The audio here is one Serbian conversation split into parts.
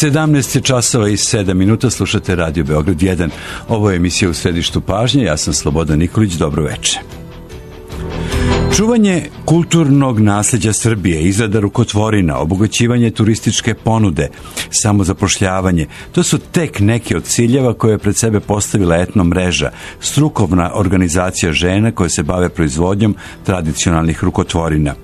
17 časova i 7 minuta, slušate Radio Beograd 1. Ovo je emisija U središtu pažnje, ja sam Slobodan Nikolić, dobro veče. Čuvanje kulturnog nasljeđa Srbije, izrada rukotvorina, obogaćivanje turističke ponude, samozapošljavanje, to su tek neki od ciljeva koje je pred sebe postavila Etno mreža, strukovna organizacija žena koje se bave proizvodnjom tradicionalnih rukotvorina.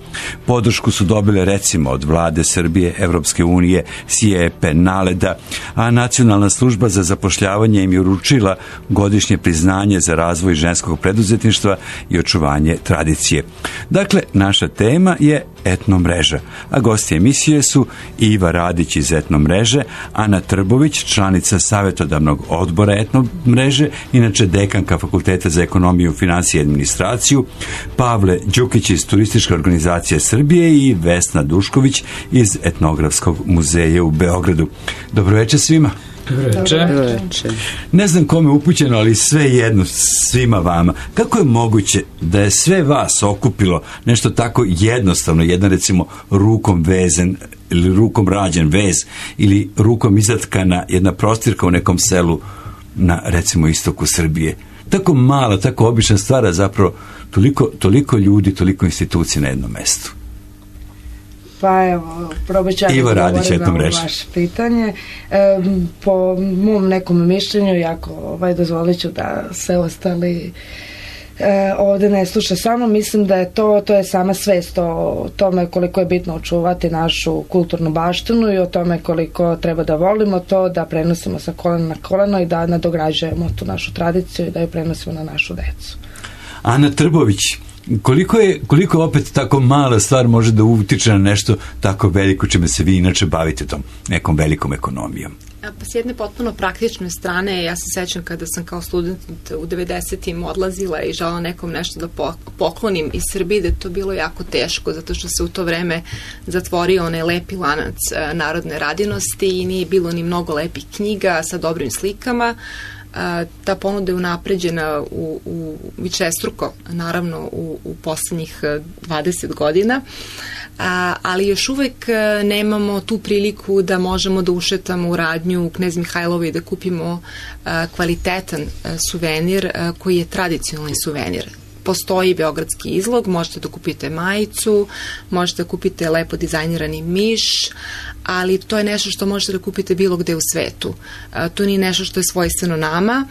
Podršku su dobile recimo od Vlade Srbije, Evropske unije, SIEPE, NALED-a, a Nacionalna služba za zapošljavanje im je uručila godišnje priznanje za razvoj ženskog preduzetništva i očuvanje tradicije. Dakle, naša tema je Etno mreža, a gosti emisije su Iva Radić iz Etno mreže, Ana Trbović, članica savjetodavnog odbora Etno mreže, inače dekanka Fakulteta za ekonomiju, finansije i administraciju, Pavle Đukić iz Turističke organizacije Srbije i Vesna Dušković iz Etnografskog muzeja u Beogradu. Dobro večer svima. Ne znam kome je upućeno, ali sve jedno svima vama. Kako je moguće da je sve vas okupilo nešto tako jednostavno, jedan recimo rukom vezen ili rukom rađen vez ili rukom izatkana jedna prostirka u nekom selu na recimo istoku Srbije? Tako mala, tako obična stvar, a zapravo toliko ljudi, toliko institucija na jednom mestu. Pa evo, probat ću ja da govorim na vaše pitanje. Po mom nekom mišljenju, jako dozvolit ću da se ostali ovde ne sluša samo, mislim da je to je sama svest o tome koliko je bitno očuvati našu kulturnu baštinu i o tome koliko treba da volimo to, da prenosimo sa kolena na koleno i da nadograđujemo tu našu tradiciju i da ju prenosimo na našu decu. Ana Trbović, koliko opet tako mala stvar može da utiče na nešto tako veliko čime se vi inače bavite, tom nekom velikom ekonomijom? Pa s jedne potpuno praktične strane, ja se sećam kada sam kao student u 90-im odlazila i žela nekom nešto da poklonim iz Srbije, da je to bilo jako teško, zato što se u to vreme zatvorio onaj lepi lanac narodne radinosti i nije bilo ni mnogo lepih knjiga sa dobrim slikama. Ta ponuda je unapređena u višestruko, naravno u poslednjih 20 godina, ali još uvek nemamo tu priliku da možemo da ušetamo u radnju u Knez Mihajlovu i da kupimo kvalitetan suvenir koji je tradicionalni suvenir. Postoji beogradski izlog, možete da kupite majicu, možete da kupite lepo dizajnirani miš, ali to je nešto što možete da kupite bilo gde u svetu. To nije nešto što je svojstveno nama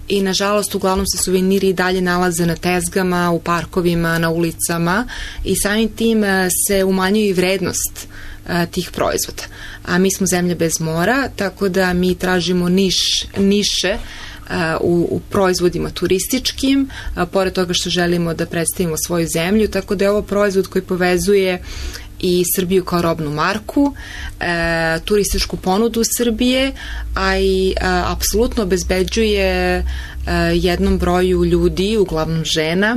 i nažalost uglavnom se suveniri i dalje nalaze na tezgama, u parkovima, na ulicama i samim tim se umanjuje i vrednost tih proizvoda. A mi smo zemlja bez mora, tako da mi tražimo niše u proizvodima turističkim, pored toga što želimo da predstavimo svoju zemlju, tako da je ovo proizvod koji povezuje i Srbiju kao robnu marku, turističku ponudu Srbije, a i apsolutno obezbeđuje jednom broju ljudi, uglavnom žena,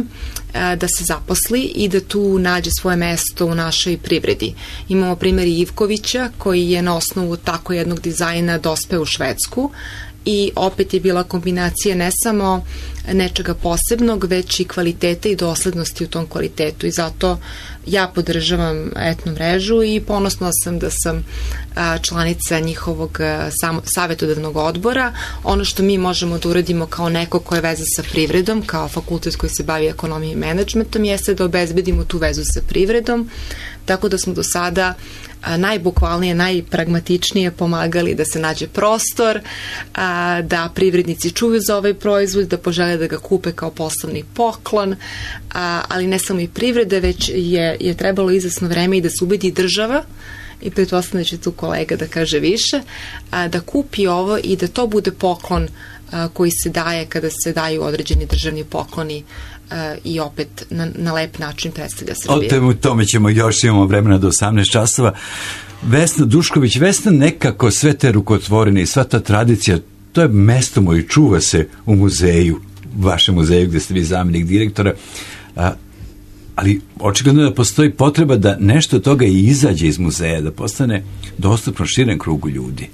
da se zaposli i da tu nađe svoje mesto u našoj privredi. Imamo primjer Ivkovića koji je na osnovu tako jednog dizajna dospeo u Švedsku i opet je bila kombinacija ne samo nečega posebnog, već i kvaliteta i doslednosti u tom kvalitetu i zato ja podržavam Etno mrežu i ponosna sam da sam članica njihovog savjetodavnog odbora. Ono što mi možemo da uradimo kao neko ko je veza sa privredom, kao fakultet koji se bavi ekonomijom i menadžmentom, jeste da obezbedimo tu vezu sa privredom, tako da smo do sada najbukvalnije, najpragmatičnije pomagali da se nađe prostor, da privrednici čuju za ovaj proizvod, da požele da ga kupe kao poslovni poklon, ali ne samo i privrede, već je trebalo izvesno vreme i da se ubedi država, i pretpostavljam da će tu kolega da kaže više, da kupi ovo i da to bude poklon koji se daje kada se daju određeni državni pokloni i opet na lep način predstavlja Srbije. O tome ćemo još, imamo vremena do 18 časova. Vesna Dušković, Vesna, nekako sve te rukotvorine i sva ta tradicija, to je mesto moje, čuva se u muzeju, vašem muzeju gde ste vi zamjenik direktora, ali očigledno da postoji potreba da nešto od toga i izađe iz muzeja, da postane dostupno širem krugu ljudi.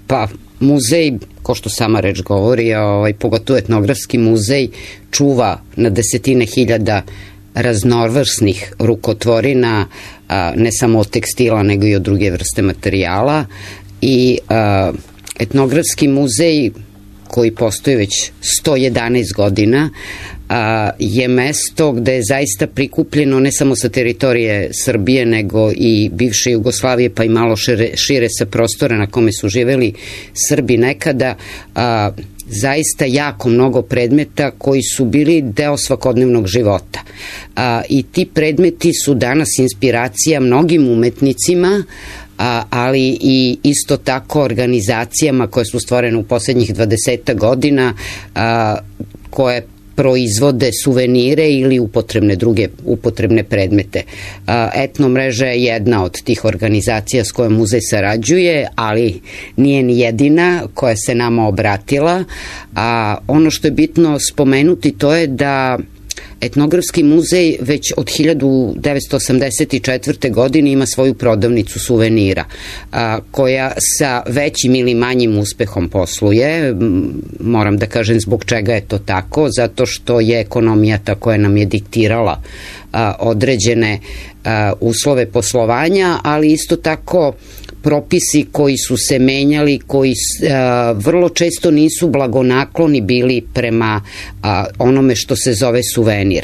Pa, muzej, ko što sama reč govori, pogotovo etnografski muzej, čuva na desetine hiljada raznovrsnih rukotvorina, ne samo od tekstila, nego i od druge vrste materijala. i etnografski muzej koji postoji već 111 godina je mesto gde je zaista prikupljeno ne samo sa teritorije Srbije nego i bivše Jugoslavije pa i malo šire sa prostora na kome su živeli Srbi nekada, zaista jako mnogo predmeta koji su bili deo svakodnevnog života. I ti predmeti su danas inspiracija mnogim umetnicima, ali i isto tako organizacijama koje su stvorene u poslednjih 20 godina, koje proizvode suvenire ili druge upotrebne predmete. Etno mreža je jedna od tih organizacija s kojom muzej sarađuje, ali nije ni jedina koja se nama obratila. Ono što je bitno spomenuti to je da Etnografski muzej već od 1984. godine ima svoju prodavnicu suvenira, koja sa većim ili manjim uspehom posluje. Moram da kažem zbog čega je to tako, zato što je ekonomija ta koja nam je diktirala određene uslove poslovanja, ali isto tako propisi koji su se menjali, koji vrlo često nisu blagonakloni bili prema onome što se zove suvenir.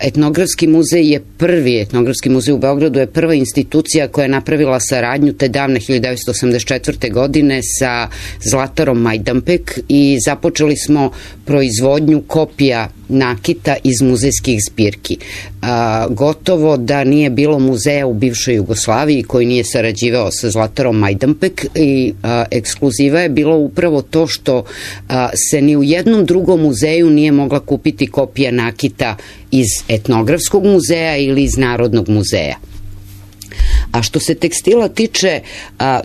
Etnografski muzej je prvi, Etnografski muzej u Beogradu je prva institucija koja je napravila saradnju te davne 1984. godine sa Zlatarom Majdanpek i započeli smo proizvodnju kopija nakita iz muzejskih zbirki. Gotovo da nije bilo muzeja u bivšoj Jugoslaviji koji nije sarađivao sa Zlatarom Majdanpek i ekskluziva je bilo upravo to što se ni u jednom drugom muzeju nije mogla kupiti kopija nakita iz Etnografskog muzeja ili iz Narodnog muzeja. A što se tekstila tiče,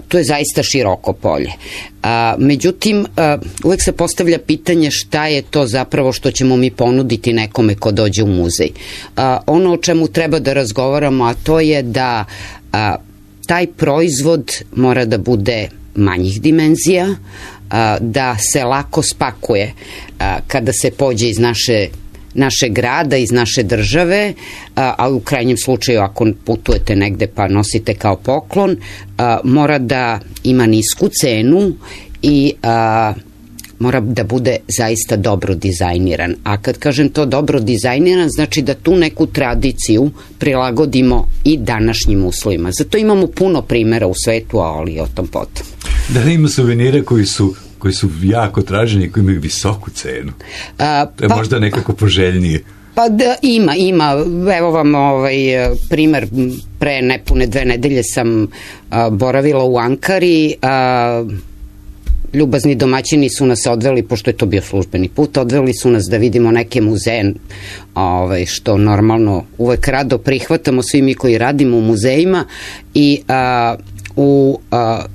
to je zaista široko polje. Međutim, uvek se postavlja pitanje šta je to zapravo što ćemo mi ponuditi nekome ko dođe u muzej. Ono o čemu treba da razgovaramo, a to je da taj proizvod mora da bude manjih dimenzija, da se lako spakuje kada se pođe iz našeg grada, iz naše države, a u krajnjem slučaju ako putujete negde pa nosite kao poklon, mora da ima nisku cenu i mora da bude zaista dobro dizajniran. A kad kažem to dobro dizajniran, znači da tu neku tradiciju prilagodimo i današnjim uslovima. Zato imamo puno primjera u svetu, ali o tom potom. Da li ima suvenire koji su jako traženi i koji imaju visoku cenu? To je možda nekako poželjnije. Pa da, ima. Evo vam primer, pre nepune 2 nedelje sam boravila u Ankari, ljubazni domaćini su nas odveli, pošto je to bio službeni put, odveli su nas da vidimo neke muzeje, što normalno uvek rado prihvatamo svi mi koji radimo u muzejima, i u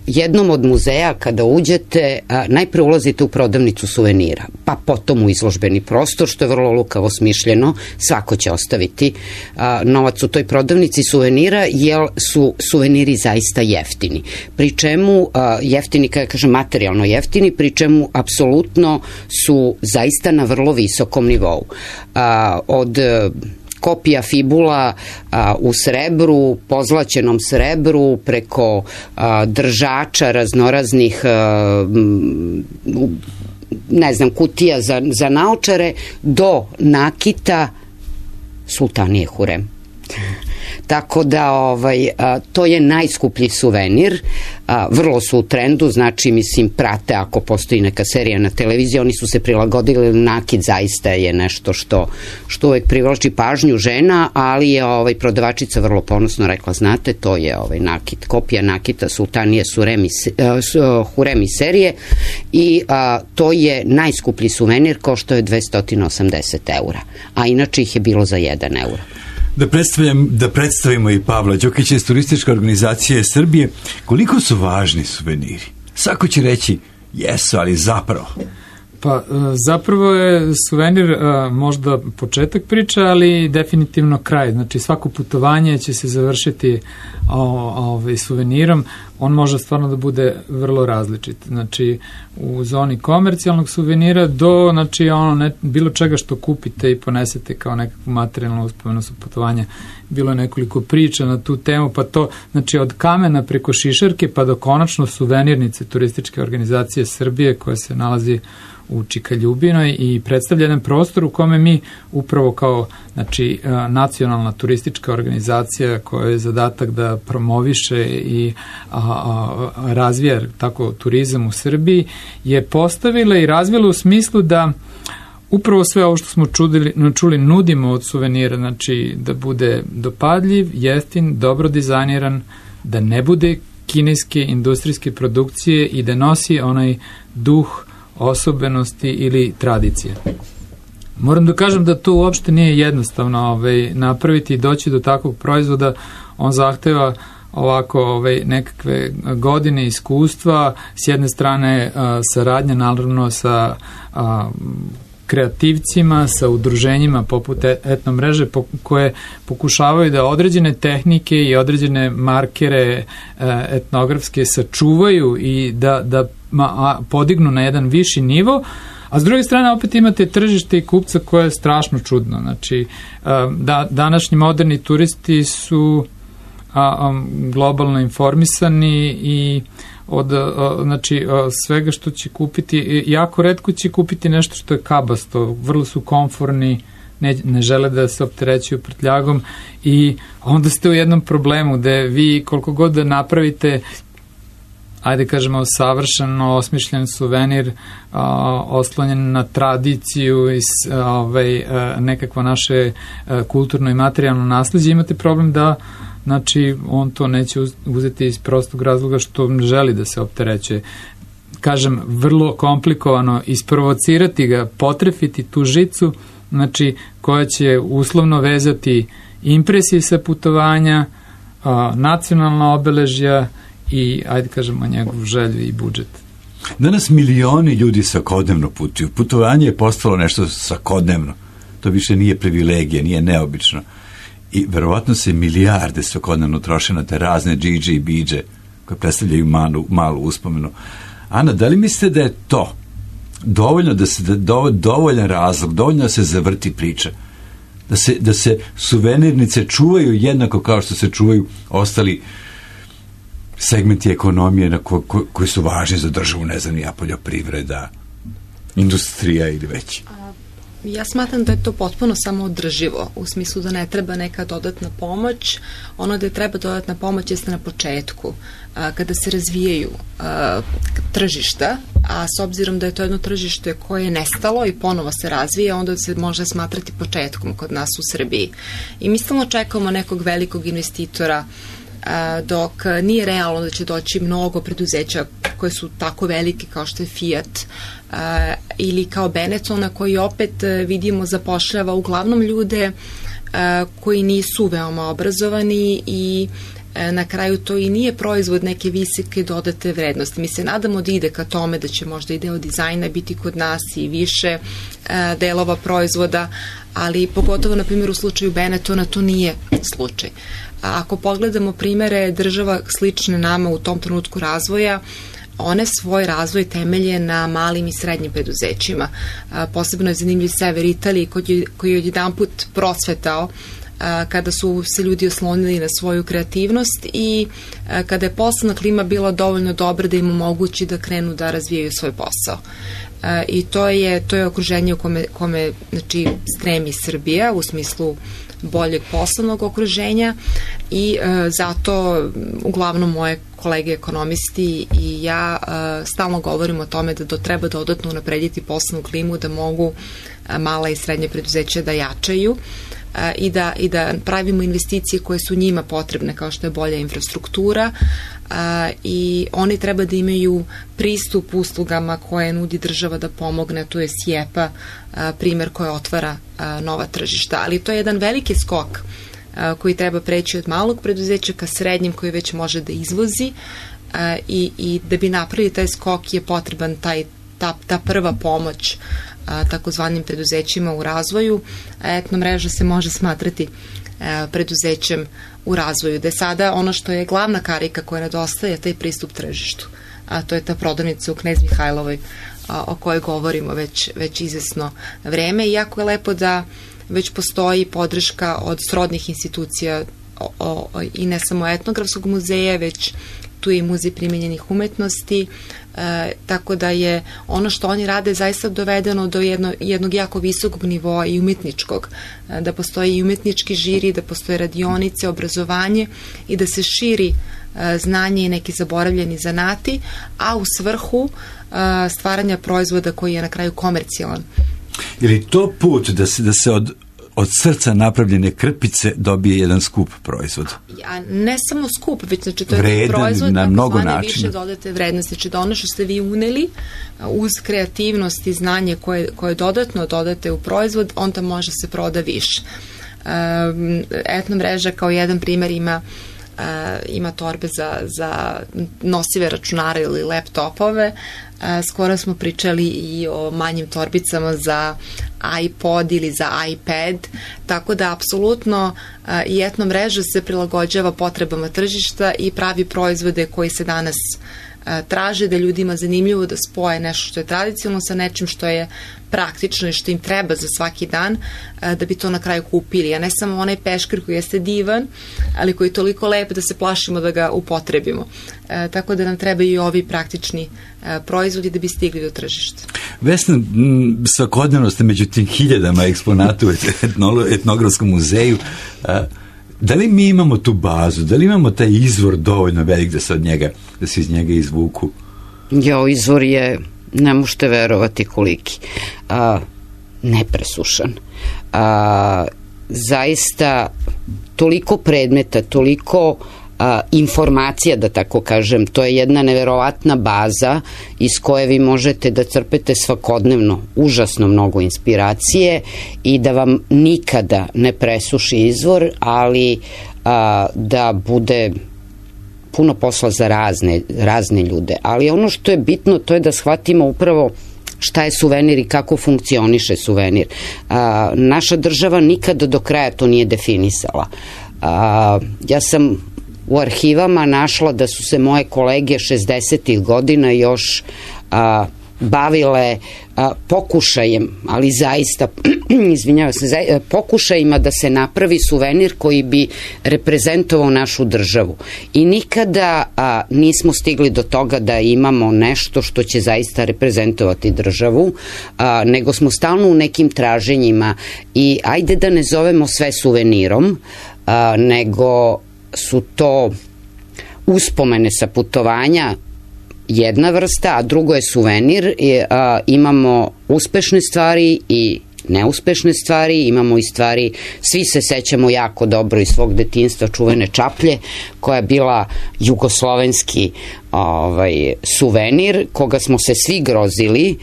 jednom od muzeja kada uđete, najpre ulazite u prodavnicu suvenira, pa potom u izložbeni prostor, što je vrlo lukavo smišljeno, svako će ostaviti novac u toj prodavnici suvenira, jer su suveniri zaista jeftini. Pri čemu jeftini, kada kažem materijalno jeftini, pri čemu apsolutno su zaista na vrlo visokom nivou. Od kopija fibula u srebru, pozlaćenom srebru, preko držača raznoraznih kutija za naočare, do nakita sultanije Hurem. Tako da to je najskuplji suvenir, vrlo su u trendu, znači prate ako postoji neka serija na televiziji, oni su se prilagodili, nakit zaista je nešto što uvek privlači pažnju žena, ali je prodavačica vrlo ponosno rekla, znate, to je nakit, kopija nakita sultanije Hurem serije i to je najskuplji suvenir, koštao je 280 eura, a inače ih je bilo za 1 euro. Da predstavimo i Pavla Đokića iz Turističke organizacije Srbije. Koliko su važni suveniri? Svako će reći, jesu, ali zapravo. Pa zapravo je suvenir možda početak priče, ali definitivno kraj. Znači svako putovanje će se završiti suvenirom. On može stvarno da bude vrlo različit. Znači u zoni komercijalnog suvenira do bilo čega što kupite i ponesete kao nekakvu materijalnu uspomenu sa putovanja. Bilo je nekoliko priča na tu temu, pa to znači od kamena preko šišarke pa do konačno suvenirnice Turističke organizacije Srbije koja se nalazi u Čikaljubinoj i predstavlja jedan prostor u kome mi upravo kao nacionalna turistička organizacija koja je zadatak da promoviše i razvija tako turizam u Srbiji je postavila i razvila u smislu da upravo sve ovo što smo čuli nudimo od suvenira, znači da bude dopadljiv, jeftin, dobro dizajniran, da ne bude kineske industrijske produkcije i da nosi onaj duh osobenosti ili tradicije. Moram da kažem da to uopšte nije jednostavno napraviti i doći do takvog proizvoda. On zahteva ovako nekakve godine iskustva, s jedne strane saradnja naravno sa kreativcima, sa udruženjima poput etnomreže koje pokušavaju da određene tehnike i određene markere etnografske sačuvaju i da podignu na jedan viši nivo, a s druge strane opet imate tržište i kupca koje je strašno čudno. Znači, današnji moderni turisti su globalno informisani i od svega što će kupiti, jako retko će kupiti nešto što je kabasto, vrlo su komforni, ne žele da se opterećuju prtljagom i onda ste u jednom problemu gde vi koliko god da napravite ajde kažemo savršeno osmišljen suvenir oslonjen na tradiciju i nekakvo naše kulturno i materijalno nasleđe, imate problem da on to neće uzeti iz prostog razloga što želi da se opterećuje. Kažem, vrlo komplikovano isprovocirati ga, potrefiti tu žicu, koja će uslovno vezati impresije sa putovanja, nacionalna obeležja i, ajde kažemo, njegov želju i budžet. Danas milioni ljudi svakodnevno putuju. Putovanje je postalo nešto svakodnevno. To više nije privilegija, nije neobično. I verovatno se milijarde svakodnevno troše na te razne džidže i bidže koje predstavljaju malu uspomenu. Ana, da li mislite da je to dovoljno dovoljan razlog, dovoljno da se zavrti priča? Da se suvenirnice čuvaju jednako kao što se čuvaju ostali segmenti ekonomije koji su važni za državu, ne znam, poljoprivreda, industrija ili već? Ja smatram da je to potpuno samoodrživo, u smislu da ne treba neka dodatna pomoć. Ono da je treba dodatna pomoć jeste na početku, kada se razvijaju tržišta, a s obzirom da je to jedno tržište koje je nestalo i ponovo se razvija, onda se može smatrati početkom kod nas u Srbiji. I mi stalno čekamo nekog velikog investitora, dok nije realno da će doći mnogo preduzeća koje su tako velike kao što je Fiat ili kao Benetton, koji opet vidimo zapošljava uglavnom ljude koji nisu veoma obrazovani i na kraju to i nije proizvod neke visoke dodate vrednosti. Mi se nadamo da ide ka tome da će možda i deo dizajna biti kod nas i više delova proizvoda, ali pogotovo na primjer u slučaju Benettona to nije slučaj. Ako pogledamo primere država slične nama u tom trenutku razvoja, one svoj razvoj temelje na malim i srednjim preduzećima. Posebno je zanimljiv sever Italije koji je odjedanput procvetao kada su se ljudi oslonili na svoju kreativnost i kada je poslovna klima bila dovoljno dobra da im omogući da krenu da razvijaju svoj posao. I to je okruženje u kome stremi Srbija u smislu boljeg poslovnog okruženja i zato uglavnom moje kolege ekonomisti i ja stalno govorimo o tome da treba dodatno unaprediti poslovnu klimu, da mogu mala i srednje preduzeća da jačaju i da pravimo investicije koje su njima potrebne, kao što je bolja infrastruktura, i oni treba da imaju pristup uslugama koje nudi država da pomogne. Tu je SIEPA primer koja otvara nova tržišta, ali to je jedan veliki skok koji treba preći od malog preduzeća ka srednjim koji već može da izvozi i da bi napravili taj skok je potreban taj ta prva pomoć takozvanim preduzećima u razvoju. Etno mreža se može smatrati preduzećem u razvoju, da je sada ono što je glavna karika koja nedostaje, taj pristup tržištu. A to je ta prodavnica u Knez Mihajlovoj o kojoj govorimo već izvesno vreme. Iako je lepo da već postoji podrška od srodnih institucija i ne samo Etnografskog muzeja, već tu je i Muzej primenjenih umetnosti, tako da je ono što oni rade zaista dovedeno do jednog jako visokog nivoa i umetničkog, da postoji i umetnički žiri, da postoje radionice, obrazovanje i da se širi znanje i neki zaboravljeni zanati, a u svrhu stvaranja proizvoda koji je na kraju komercijalan. Ili to put da se od srca napravljene krpice dobije jedan skup proizvod? A ne samo skup, već znači to je proizvod na mnogo načina. Više dodate vrednosti, znači da ono što ste vi uneli uz kreativnost i znanje koje dodatno dodate u proizvod, onda može se proda više. Etno mreža kao jedan primer ima torbe za nosive računare ili laptopove. Skoro smo pričali i o manjim torbicama za iPod ili za iPad, tako da apsolutno i Etno mreža se prilagođava potrebama tržišta i pravi proizvode koji se danas traže, da ljudima zanimljivo da spoje nešto što je tradicionalno sa nečim što je praktično i što im treba za svaki dan, da bi to na kraju kupili. A ne samo onaj peškir koji jeste divan, ali koji je toliko lep da se plašimo da ga upotrebimo. Tako da nam trebaju i ovi praktični proizvodi da bi stigli do tržišta. Vesna, svakodnevno ste među tim hiljadama eksponata u Etnografskom muzeju. Da li mi imamo tu bazu? Da li imamo taj izvor dovoljno velik da se iz njega izvuku? Izvor je, ne možete verovati koliki, nepresušan. Zaista toliko predmeta, toliko informacija, da tako kažem, to je jedna neverovatna baza iz koje vi možete da crpete svakodnevno užasno mnogo inspiracije i da vam nikada ne presuši izvor, ali da bude puno posla za razne ljude. Ali ono što je bitno, to je da shvatimo upravo šta je suvenir i kako funkcioniše suvenir. Naša država nikada do kraja to nije definisala. Ja sam u arhivama našla da su se moje kolege 60. godina još bavile pokušajem, ali zaista, izvinjavam se, pokušajima da se napravi suvenir koji bi reprezentovao našu državu. I nikada nismo stigli do toga da imamo nešto što će zaista reprezentovati državu, nego smo stalno u nekim traženjima i ajde da ne zovemo sve suvenirom, nego su to uspomene sa putovanja jedna vrsta, a drugo je suvenir. Imamo uspešne stvari i neuspešne stvari, imamo i stvari, svi se sećamo jako dobro iz svog detinjstva čuvene čaplje, koja je bila jugoslovenski suvenir, koga smo se svi grozili,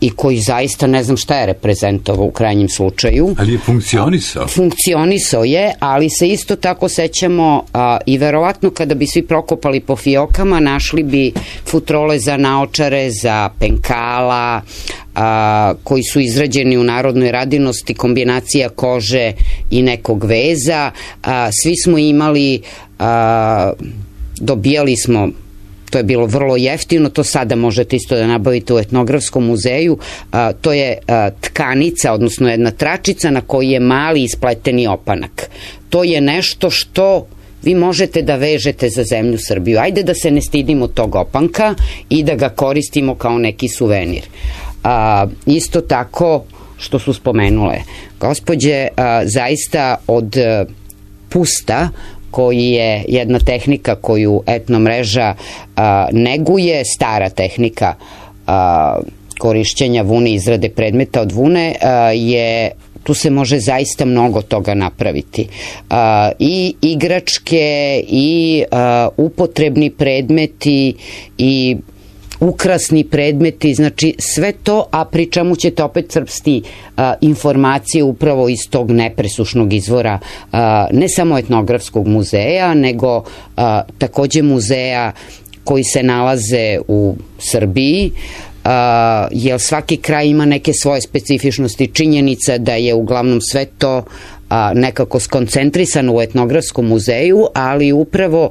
i koji zaista ne znam šta je reprezentovao u krajnjem slučaju. Ali je funkcionisao. Funkcionisao je, ali se isto tako sećamo i verovatno kada bi svi prokopali po fiokama, našli bi futrole za naočare, za penkala, koji su izrađeni u narodnoj radinosti, kombinacija kože i nekog veza. Svi smo imali, dobijali smo, to je bilo vrlo jeftino, to sada možete isto da nabavite u Etnografskom muzeju, to je tkanica, odnosno jedna tračica na kojoj je mali ispleteni opanak. To je nešto što vi možete da vežete za zemlju Srbiju. Ajde da se ne stidimo tog opanka i da ga koristimo kao neki suvenir. Isto tako, što su spomenule gospođe, zaista od pusta, koji je jedna tehnika koju Etno mreža neguje, stara tehnika korišćenja vune, izrade predmeta od vune, tu se može zaista mnogo toga napraviti. I igračke, i upotrebni predmeti, i ukrasni predmeti, znači sve to, a pri čemu ćete opet crpsti informacije upravo iz tog nepresušnog izvora, ne samo Etnografskog muzeja, nego takođe muzeja koji se nalaze u Srbiji, jer svaki kraj ima neke svoje specifičnosti. Činjenica da je uglavnom sve to nekako skoncentrisano u etnografskom muzeju, ali upravo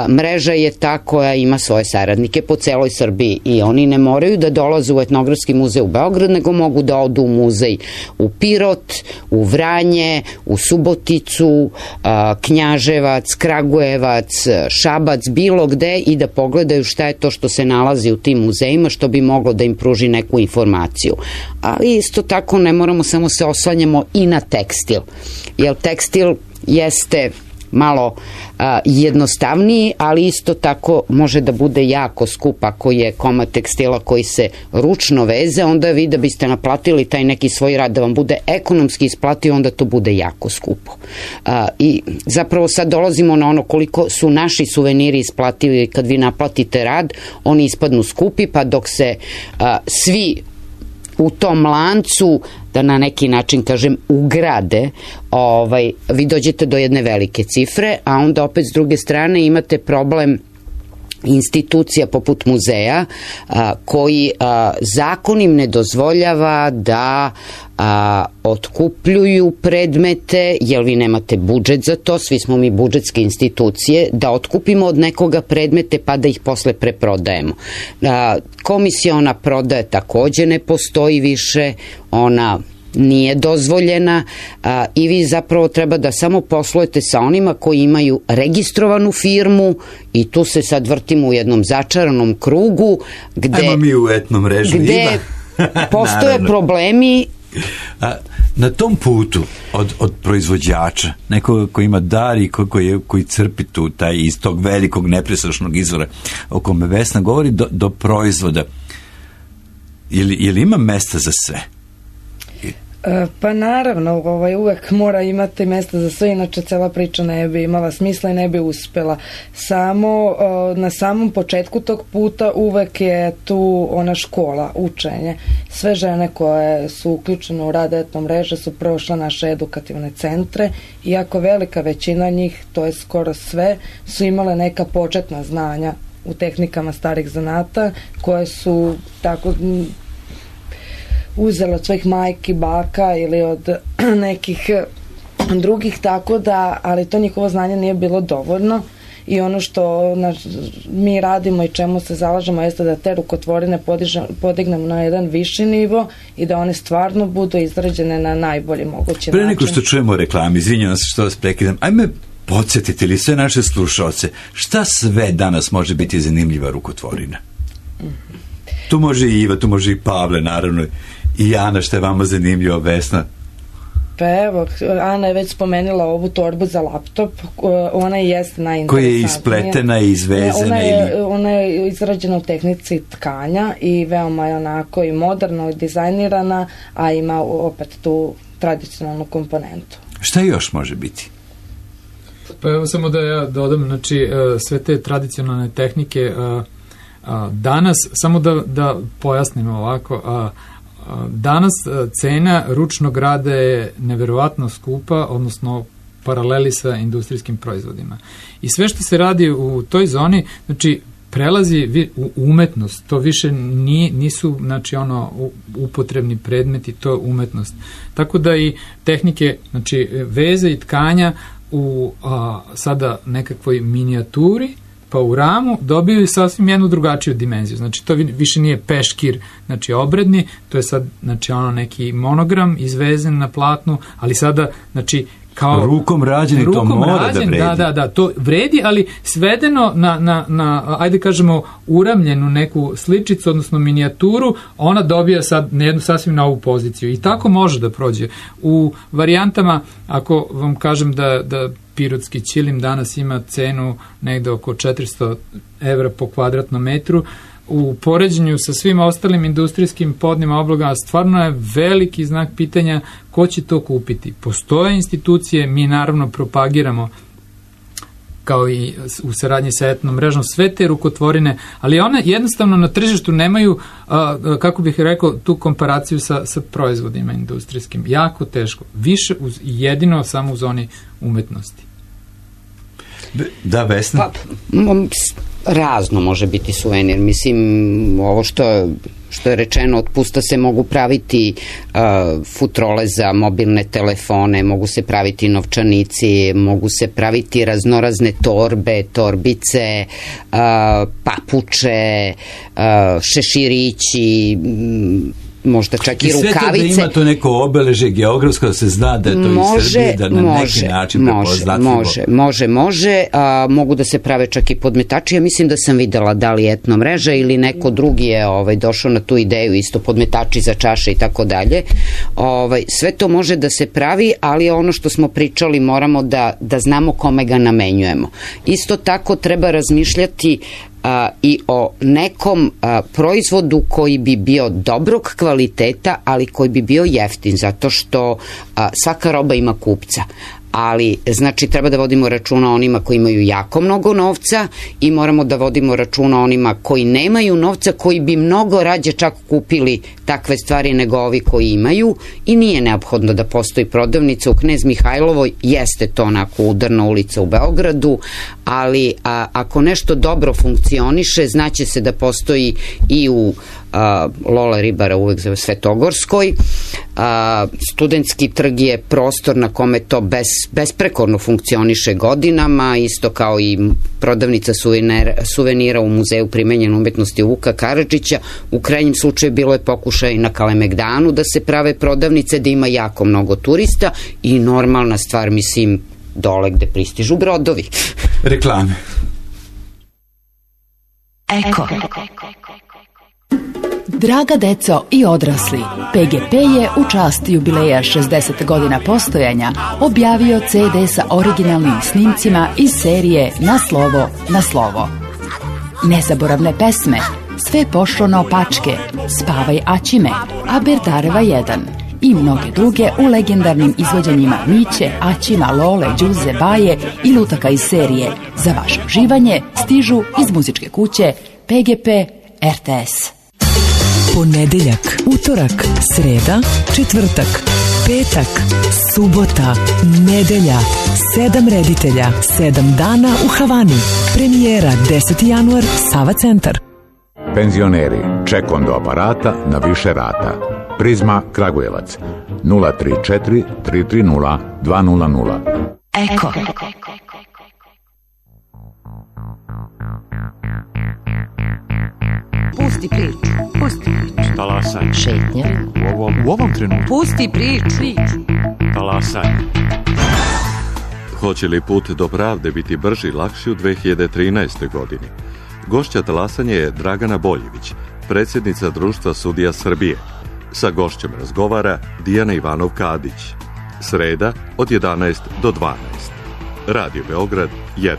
mreža je ta koja ima svoje saradnike po celoj Srbiji i oni ne moraju da dolaze u etnografski muzej u Beograd, nego mogu da odu u muzej u Pirot, u Vranje, u Suboticu, Knjaževac, Kragujevac, Šabac, bilo gde i da pogledaju šta je to što se nalazi u tim muzejima, što bi moglo da im pruži neku informaciju. Ali isto tako ne moramo samo se oslanjamo i na tekstil, jer tekstil jeste malo jednostavniji, ali isto tako može da bude jako skup. Ako je komad tekstila koji se ručno veze, onda vi da biste naplatili taj neki svoj rad da vam bude ekonomski isplativo, onda to bude jako skupo. I zapravo sad dolazimo na ono koliko su naši suveniri isplativi. Kad vi naplatite rad, oni ispadnu skupi, pa dok se svi u tom lancu, da na neki način kažem, ugrade, vi dođete do jedne velike cifre, a onda opet s druge strane imate problem institucija poput muzeja koji zakon im ne dozvoljava da otkupljuju predmete, jer vi nemate budžet za to, svi smo mi budžetske institucije, da otkupimo od nekoga predmete pa da ih posle preprodajemo. Komisiona prodaja takođe ne postoji više, ona nije dozvoljena i vi zapravo treba da samo poslujete sa onima koji imaju registrovanu firmu i tu se sad vrtimo u jednom začaranom krugu gde mi u etnom mrežu postoje problemi. Na tom putu od proizvođača, nekoga koji ima dar i koji crpi tu taj iz tog velikog neprestrašnog izvora o kome Vesna govori, do proizvoda, je li ima mesta za sve? Pa naravno, uvek mora imati mesta za sve, inače cela priča ne bi imala smisla i ne bi uspela. Samo na samom početku tog puta uvek je tu ona škola, učenje. Sve žene koje su uključene u rad etno mreže su prošle naše edukativne centre, iako velika većina njih, to je skoro sve, su imale neka početna znanja u tehnikama starih zanata, koje su tako uzela od svojih majki, baka ili od nekih drugih, tako da, ali to njihovo znanje nije bilo dovoljno i ono što mi radimo i čemu se zalažemo jeste da te rukotvorine podignemo na jedan viši nivo i da one stvarno budu izrađene na najbolji mogući način. Pre nego što čujemo reklami, izvinjavam se što vas prekidam, ajme podsjetite li sve naše slušaoce, šta sve danas može biti zanimljiva rukotvorina? Tu može i Iva, tu može i Pavle, naravno, i Ana, što je vama zanimljivo, Vesna? Pa evo, Ana je već spomenula ovu torbu za laptop, ona je jeste najinteresantnija. Koja je ispletena i izvezena? Ona je izrađena u tehnici tkanja i veoma je onako i moderno i dizajnirana, a ima opet tu tradicionalnu komponentu. Šta još može biti? Pa evo samo da ja dodam, znači sve te tradicionalne tehnike danas, samo da pojasnimo ovako, danas cena ručnog rada je neverovatno skupa, odnosno paraleli sa industrijskim proizvodima. I sve što se radi u toj zoni, znači prelazi u umetnost, to više nisu znači upotrebni predmeti, to je umetnost. Tako da i tehnike, znači veze i tkanja u sada nekakvoj minijaturi, pa u ramu dobiju sasvim jednu drugačiju dimenziju. Znači to više nije peškir, znači obredni, to je sad znači neki monogram izvezen na platnu, ali sada znači kao rukom rađen, to mora da vredi. Da, to vredi, ali svedeno na ajde kažemo uramljenu neku sličicu, odnosno minijaturu, ona dobija sad na jednu sasvim novu poziciju i tako može da prođe. U varijantama, ako vam kažem da pirotski ćilim danas ima cenu negde oko 400 evra po kvadratnom metru, u poređenju sa svim ostalim industrijskim podnim oblogama stvarno je veliki znak pitanja ko će to kupiti. Postoje institucije, mi naravno propagiramo kao i u saradnji sa etnom mrežom sve te rukotvorine, ali one jednostavno na tržištu nemaju, kako bih rekao, tu komparaciju sa proizvodima industrijskim. Jako teško. Više jedino samo u zoni umetnosti. Da, Vesna? Razno može biti suvenir. Mislim, ovo što što je rečeno, od pusta se mogu praviti futrole za mobilne telefone, mogu se praviti novčanici, mogu se praviti raznorazne torbe, torbice, papuče, šeširići, možda čak i rukavice. I sve to da ima to neko obeleže geografsko, da se zna da je to iz Srbije, da na neki način prepoznatljivo. Može. Mogu da se prave čak i podmetači. Ja mislim da sam videla da li Etno mreža ili neko drugi je došao na tu ideju, isto podmetači za čaše i tako dalje. Sve to može da se pravi, ali ono što smo pričali moramo da znamo kome ga namenjujemo. Isto tako treba razmišljati i o nekom proizvodu koji bi bio dobrog kvaliteta, ali koji bi bio jeftin, zato što svaka roba ima kupca. Ali, znači, treba da vodimo računa o onima koji imaju jako mnogo novca i moramo da vodimo računa o onima koji nemaju novca, koji bi mnogo rađe čak kupili takve stvari nego ovi koji imaju, i nije neophodno da postoji prodavnica u Knez Mihajlovoj, jeste to onako udarna ulica u Beogradu, ali ako nešto dobro funkcioniše, znaće se da postoji i u Lola Ribara uvek za Svetogorskoj. Studentski trg je prostor na kome to besprekorno funkcioniše godinama, isto kao i prodavnica suvenira u Muzeju primenjene umetnosti Vuka Karadžića. U krajnjem slučaju bilo je pokušaj na Kalemegdanu da se prave prodavnice, da ima jako mnogo turista, i normalna stvar, mislim, dole gde pristižu brodovi. Reklame. Eko. Draga deco i odrasli, PGP je u čast jubileja 60 godina postojanja objavio CD sa originalnim snimcima iz serije Na slovo, na slovo. Nezaboravne pesme, Sve pošlo naopačke, Spavaj Aćime, Aberdareva 1 i mnoge druge u legendarnim izvođenjima Miće, Aćima, Lole, Đuze, Baje i lutaka iz serije. Za vaše uživanje stižu iz muzičke kuće PGP RTS. Ponedeljak, utorak, sreda, četvrtak, petak, subota, nedelja, 7 reditelja, 7 dana u Havani. Premijera 10. januar, Sava centar. Penzioneri, ček do aparata na više rata. Prizma Kragujevac 034 330 200. Eko. Pusti priču. Talasaj. Šetnja. U ovom trenutku. Pusti priču. Talasaj. Hoće li put do pravde biti brži i lakši u 2013. godini? Gošća talasanja je Dragana Boljević, predsjednica Društva sudija Srbije. Sa gošćem razgovara Dijana Ivanov-Kadić. Sreda od 11 do 12. Radio Beograd 1.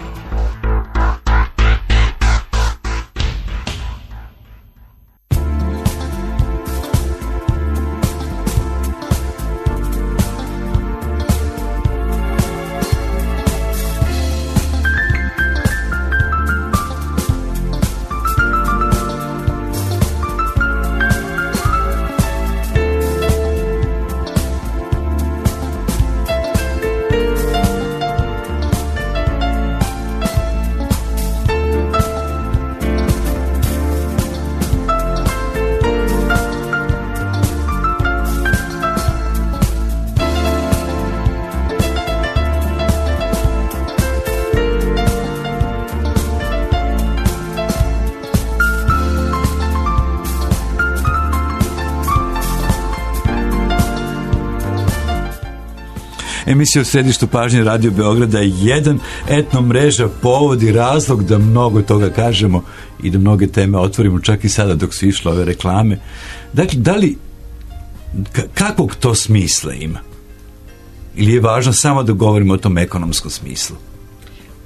Emisija u središtu pažnje Radio Beograda je 1. Etno mreža povod i razlog da mnogo toga kažemo i da mnoge teme otvorimo, čak i sada dok su išle ove reklame. Dakle, da li kakvog to smisla ima? Ili je važno samo da govorimo o tom ekonomskom smislu?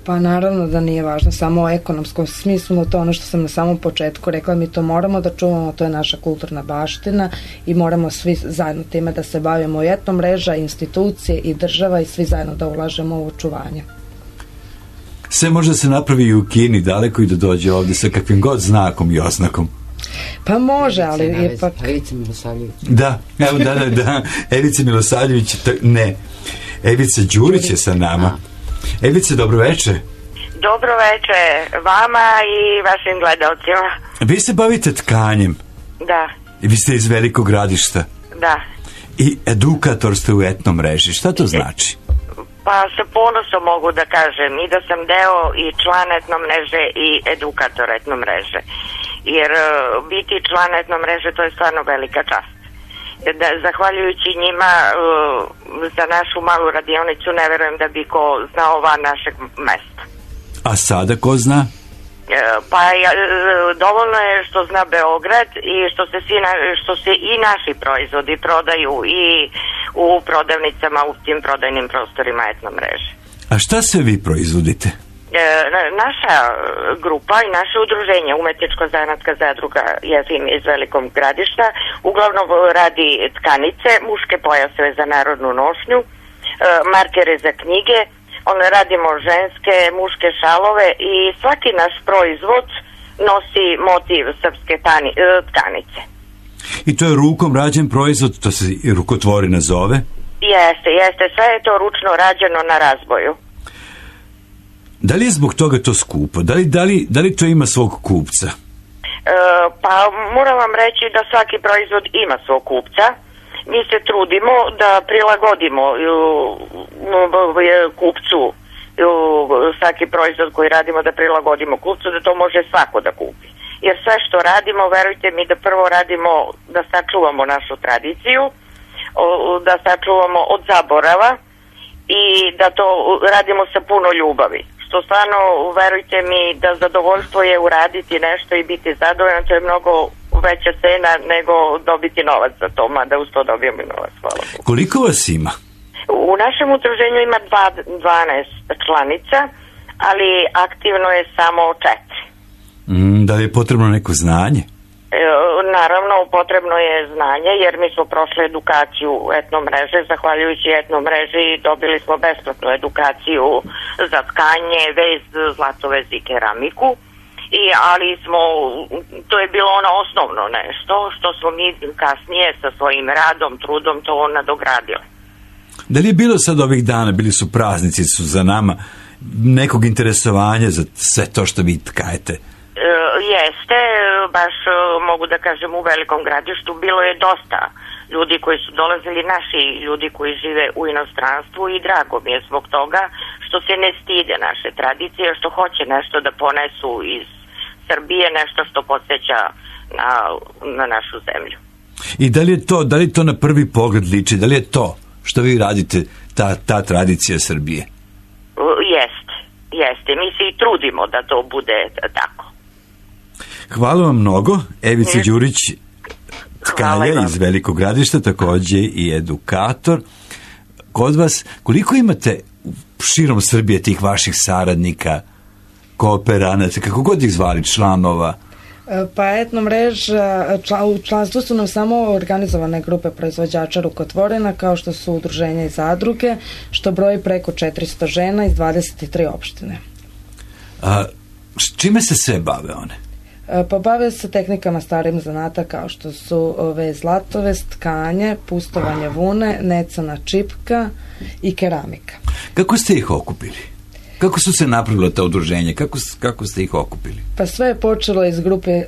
Pa naravno da nije važno samo o ekonomskom smislu, to ono što sam na samom početku rekla, mi to moramo da čuvamo, to je naša kulturna baština i moramo svi zajedno time da se bavimo, i etno mreža, institucije i država, i svi zajedno da ulažemo u očuvanje. Sve može se napravi i u Kini, daleko i da dođe ovdje sa kakvim god znakom i oznakom. Pa može, ali ipak... Evica Milosavljević. Da, evo da. Evica Milosavljević, ne. Evica Đurić je sa nama. Evice, dobroveče. Dobroveče vama i vašim gledalcima. Vi se bavite tkanjem. Da. I vi ste iz Velikog Gradišta? Da. I edukator ste u etno mreži. Šta to znači? Pa sa ponosom mogu da kažem i da sam deo i član etno mreže i edukator etno mreže. Jer biti član etno mreže to je stvarno velika čast. Da, zahvaljujući njima za našu malu radionicu ne verujem da bi ko znao van našeg mesta. A sada ko zna? Pa dovoljno je što zna Beograd i što se i naši proizvodi prodaju i u prodavnicama u tim prodajnim prostorima etno mreže. A šta se vi proizvodite? Naša grupa i naše udruženje Umetničko-zanatska zadruga Jefim iz Velikog Gradišta uglavnom radi tkanice, muške pojaseve za narodnu nošnju, markere za knjige, radimo ženske, muške šalove i svaki naš proizvod nosi motiv srpske tkanice. I to je rukom rađen proizvod, to se i rukotvorina zove? Jeste, sve je to ručno rađeno na razboju. Da li je zbog toga to skupo? Da li to ima svog kupca? Pa moram vam reći da svaki proizvod ima svog kupca. Mi se trudimo da prilagodimo kupcu svaki proizvod koji radimo, da prilagodimo kupcu, da to može svako da kupi. Jer sve što radimo, verujte mi da prvo radimo da sačuvamo našu tradiciju, da sačuvamo od zaborava i da to radimo sa puno ljubavi. Što stvarno, verujte mi da zadovoljstvo je uraditi nešto i biti zadovoljan, to je mnogo veća cena nego dobiti novac za to, mada uz to dobijemo i novac, hvala Bogu. Koliko vas ima? U našem udruženju ima 12 članica, ali aktivno je samo 4. Da li je potrebno neko znanje? Naravno, potrebno je znanje, jer mi smo prošli edukaciju etno mreže, zahvaljujući etno mreži dobili smo besplatnu edukaciju za tkanje, vez, zlatovez i keramiku, ali to je bilo ono osnovno nešto što smo mi kasnije sa svojim radom, trudom to nadogradili. Da li je bilo sad ovih dana, bili su praznici, su za nama, nekog interesovanja za sve to što vi tkajete? Jeste, baš mogu da kažem u Velikom Gradištu bilo je dosta ljudi koji su dolazili, naši ljudi koji žive u inostranstvu i drago mi je zbog toga što se ne stide naše tradicije, što hoće nešto da ponesu iz Srbije, nešto što podsjeća na našu zemlju. I da li to na prvi pogled liči, da li je to što vi radite ta tradicija Srbije? Jeste, mi se i trudimo da to bude tako. Hvala vam mnogo. Evica Đurić, tkalja iz Velikog Gradišta, takođe i edukator. Kod vas, koliko imate širom Srbije tih vaših saradnika, kooperanata, kako god ih zvali, članova? Pa etno mreža, u članstvu su nam samo organizovane grupe proizvođača rukotvorina, kao što su udruženja i zadruge, što broji preko 400 žena iz 23 opštine. Čime se sve bave one? Pa bave se tehnikama starim zanata kao što su zlatovez, tkanje, pustovanje vune, necana čipka i keramika. Kako ste ih okupili? Kako su se napravila ta udruženja? Kako ste ih okupili? Pa sve je počelo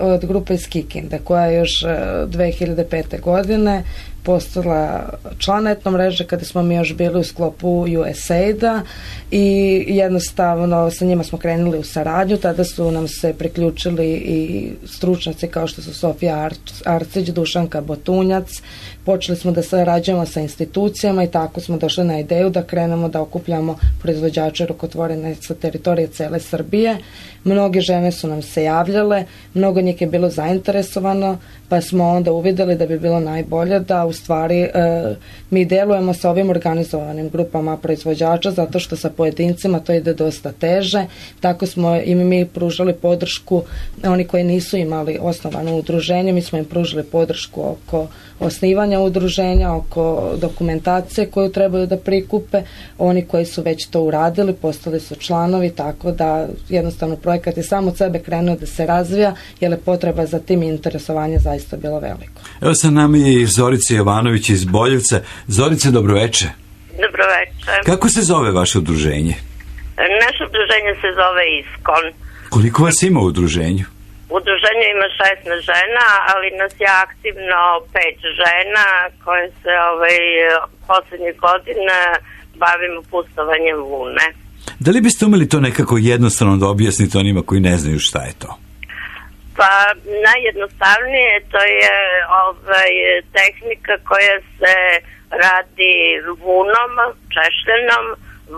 od grupe iz Kikinde, koja je još 2005. godine postala član etno mreže kada smo mi još bili u sklopu USAID-a i jednostavno sa njima smo krenuli u saradnju. Tada su nam se priključili i stručnjaci kao što su Sofija Arcić, Dušanka Botunjac. Počeli smo da sarađujemo sa institucijama i tako smo došli na ideju da krenemo da okupljamo proizvođače rukotvorina sa teritorije cele Srbije. Mnoge žene su nam se javljale, mnogo njih je bilo zainteresovano, pa smo onda uvideli da bi bilo najbolje da u stvari mi delujemo sa ovim organizovanim grupama proizvođača, zato što sa pojedincima to ide dosta teže. Tako smo i mi pružali podršku, oni koji nisu imali osnovano udruženje, mi smo im pružili podršku oko osnivanja udruženja, oko dokumentacije koju trebaju da prikupe. Oni koji su već to uradili postali su članovi, tako da jednostavno projekat je samo od sebe krenuo da se razvija, jer je potreba za tim interesovanje zaista bilo veliko. Evo sa nama je i Zorica Jovanović iz Boljevca. Zorice, dobroveče. Dobroveče. Kako se zove vaše udruženje? Naše udruženje se zove ISKON. Koliko vas ima u udruženju? Udruženje ima 16 žena, ali nas je aktivno 5 žena koje se poslednjih godina bavimo pustovanjem vune. Da li biste umeli to nekako jednostavno da objasnite onima koji ne znaju šta je to? Pa najjednostavnije to je tehnika koja se radi vunom, češljenom,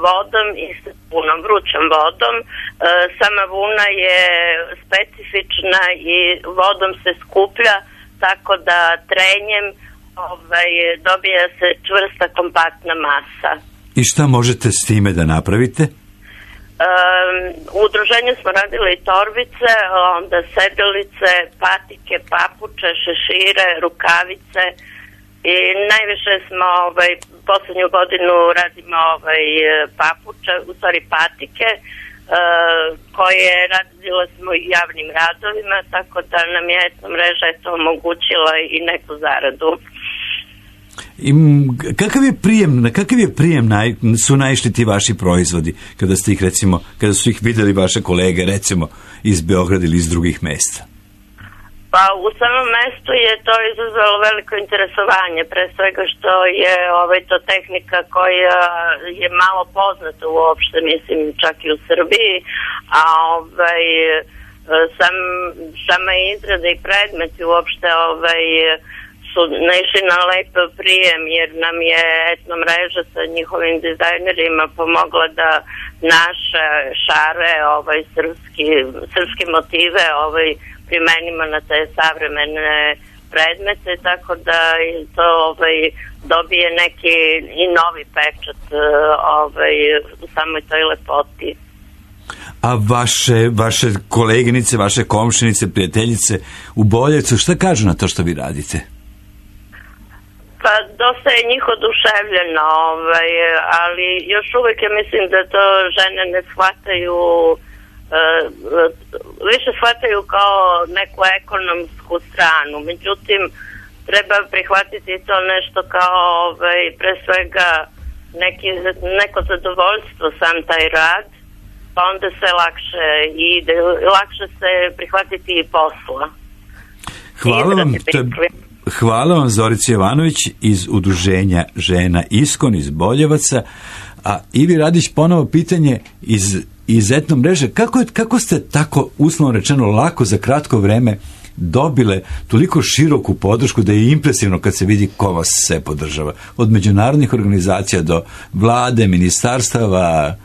vodom i sa punom vrućom vodom. Sama vuna je specifična i vodom se skuplja, tako da trenjem dobija se čvrsta kompaktna masa. I šta možete s time da napravite? U udruženju smo radili torbice, onda sedelice, patike, papuče, šešire, rukavice i najviše smo poslednju godinu radimo papuče, u stvari patike, koje radile smo i javnim radovima, tako da nam je mreža to omogućila i neku zaradu. I kakav je prijem su naišli ti vaši proizvodi kada ste ih kada su ih videli vaše kolege recimo iz Beograda ili iz drugih mesta? Pa u samom mestu je to izazvalo veliko interesovanje, pre svega što je to tehnika koja je malo poznata uopšte, mislim čak i u Srbiji, a sama izrada i predmeti uopšte su naišli na lep prijem, jer nam je etno mreža sa njihovim dizajnerima pomogla da naše šare, srpske motive primenimo na te savremene predmete, tako da to dobije neki i novi pečat u samoj toj lepoti. A vaše koleginice, vaše komšinice, prijateljice u Boljevcu, šta kažu na to što vi radite? Pa dosta je njih oduševljeno, ali još uvijek ja mislim da to žene ne shvataju, više shvataju kao neku ekonomsku stranu. Međutim, treba prihvatiti to nešto kao pre svega neko zadovoljstvo sam taj rad, pa onda se lakše ide, lakše se prihvatiti i posla. Hvala vam Zorica Jovanović iz udruženja žena Iskon iz Boljevaca. A Ivi Radić, ponovo pitanje iz etno mreže. Kako ste tako, uslovno rečeno, lako za kratko vreme dobile toliko široku podršku da je impresivno kad se vidi ko vas sve podržava? Od međunarodnih organizacija do vlade, ministarstava.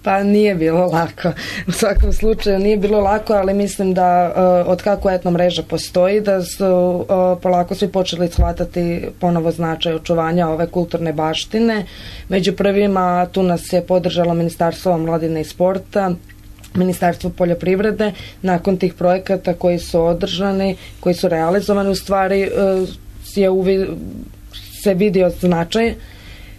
Pa nije bilo lako. U svakom slučaju nije bilo lako, ali mislim da od kako etno mreža postoji, da su polako svi počeli shvatati ponovo značaj očuvanja ove kulturne baštine. Među prvima tu nas je podržalo Ministarstvo omladine i sporta, Ministarstvo poljoprivrede. Nakon tih projekata koji su održani, koji su realizovani, u stvari se vidio značaj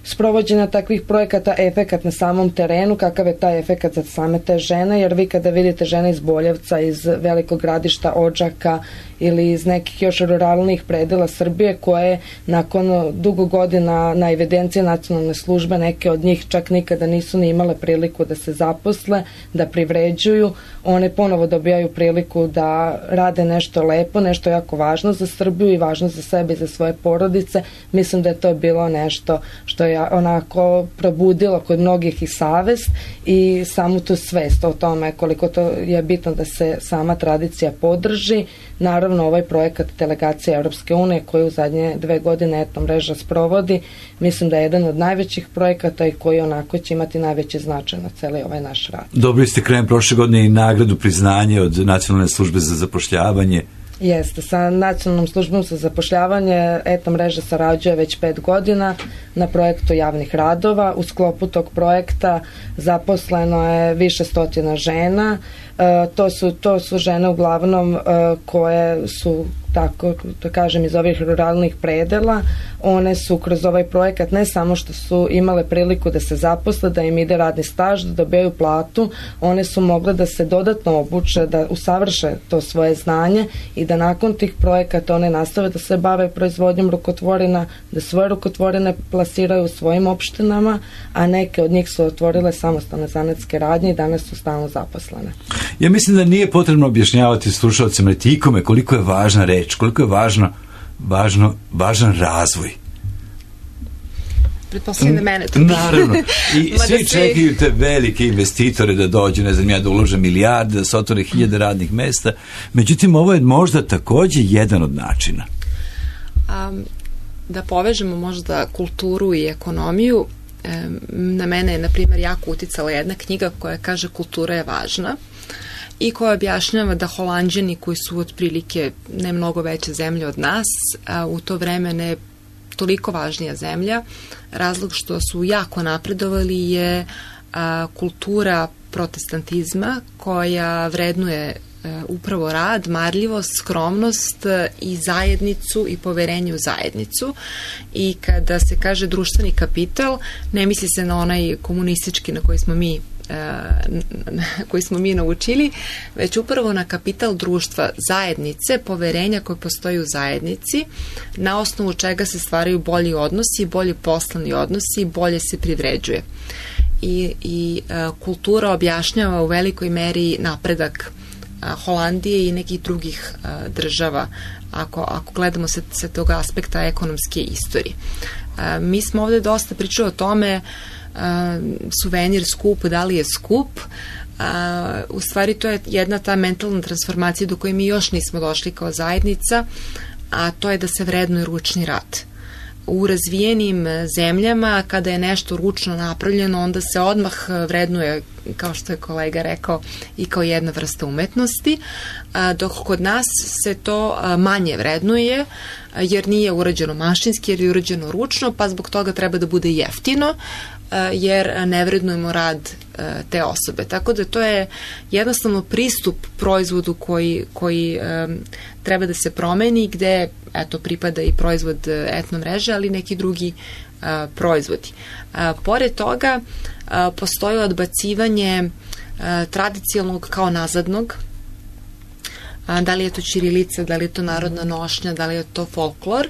sprovođenja takvih projekata, efekat na samom terenu, kakav je taj efekat za same te žene, jer vi kada vidite žene iz Boljevca, iz Velikog Gradišta, Odžaka ili iz nekih još ruralnih predela Srbije, koje nakon dugo godina na evidenciji nacionalne službe, neke od njih čak nikada nisu ni imale priliku da se zaposle, da privređuju, one ponovo dobijaju priliku da rade nešto lepo, nešto jako važno za Srbiju i važno za sebe i za svoje porodice. Mislim da je to bilo nešto što je onako probudilo kod mnogih i savest i samu tu svest o tome koliko to je bitno da se sama tradicija podrži. Naravno, ovaj projekat delegacije Europske unije koji u zadnje 2 godine etno mreža sprovodi, mislim da je jedan od najvećih projekata i koji onako će imati najveći značaj na celi ovaj naš rad. Dobili ste krajem prošle godine i nagradu, priznanje od Nacionalne službe za zapošljavanje. Jeste, sa Nacionalnom službom za zapošljavanje etno mreža sarađuje već 5 godina na projektu javnih radova. U sklopu tog projekta zaposleno je više stotina žena. To su žene uglavnom koje su tako da kažem iz ovih ruralnih predela, one su kroz ovaj projekat ne samo što su imale priliku da se zaposle, da im ide radni staž, da dobijaju platu, one su mogle da se dodatno obuče, da usavrše to svoje znanje i da nakon tih projekata one nastave da se bave proizvodnjom rukotvorina, da svoje rukotvorine plasiraju u svojim opštinama, a neke od njih su otvorile samostalne zanatske radnje i danas su stalno zaposlene. Ja mislim da nije potrebno objašnjavati slušalcima niti ikome koliko je važna reč, koliko je važan razvoj. Pretpostavljam da mene to naravno. I svi čekaju te velike investitore da dođu, ne znam ja, da ulože milijarde, da se otvore 1000 radnih mesta. Međutim, ovo je možda takođe jedan od načina. Da povežemo možda kulturu i ekonomiju, na mene je, na primjer, jako uticala jedna knjiga koja kaže kultura je važna i koja objašnjava da Holanđani koji su otprilike ne mnogo veće zemlje od nas, u to vreme ne toliko važnija zemlja, razlog što su jako napredovali je kultura protestantizma koja vrednuje upravo rad, marljivost, skromnost i zajednicu i poverenje u zajednicu. I kada se kaže društveni kapital, ne misli se na onaj komunistički na koji smo mi naučili, već upravo na kapital društva, zajednice, poverenja koje postoji u zajednici, na osnovu čega se stvaraju bolji odnosi, bolji poslovni odnosi i bolje se privređuje. I kultura objašnjava u velikoj meri napredak Holandije i nekih drugih država ako gledamo sa tog aspekta ekonomske istorije. Mi smo ovde dosta pričali o tome suvenir skup, da li je skup. U stvari to je jedna ta mentalna transformacija do koje mi još nismo došli kao zajednica, a to je da se vrednuje ručni rad. U razvijenim zemljama kada je nešto ručno napravljeno, onda se odmah vrednuje, kao što je kolega rekao, i kao jedna vrsta umetnosti, dok kod nas se to manje vrednuje, jer nije urađeno mašinski, jer je urađeno ručno, pa zbog toga treba da bude jeftino, jer ne vrednujemo rad te osobe. Tako da to je jednostavno pristup proizvodu koji treba da se promeni, gde pripada i proizvod etno mreže, ali neki drugi proizvodi. Pored toga postoji odbacivanje tradicionalnog kao nazadnog, da li je to ćirilica, da li je to narodna nošnja, da li je to folklor,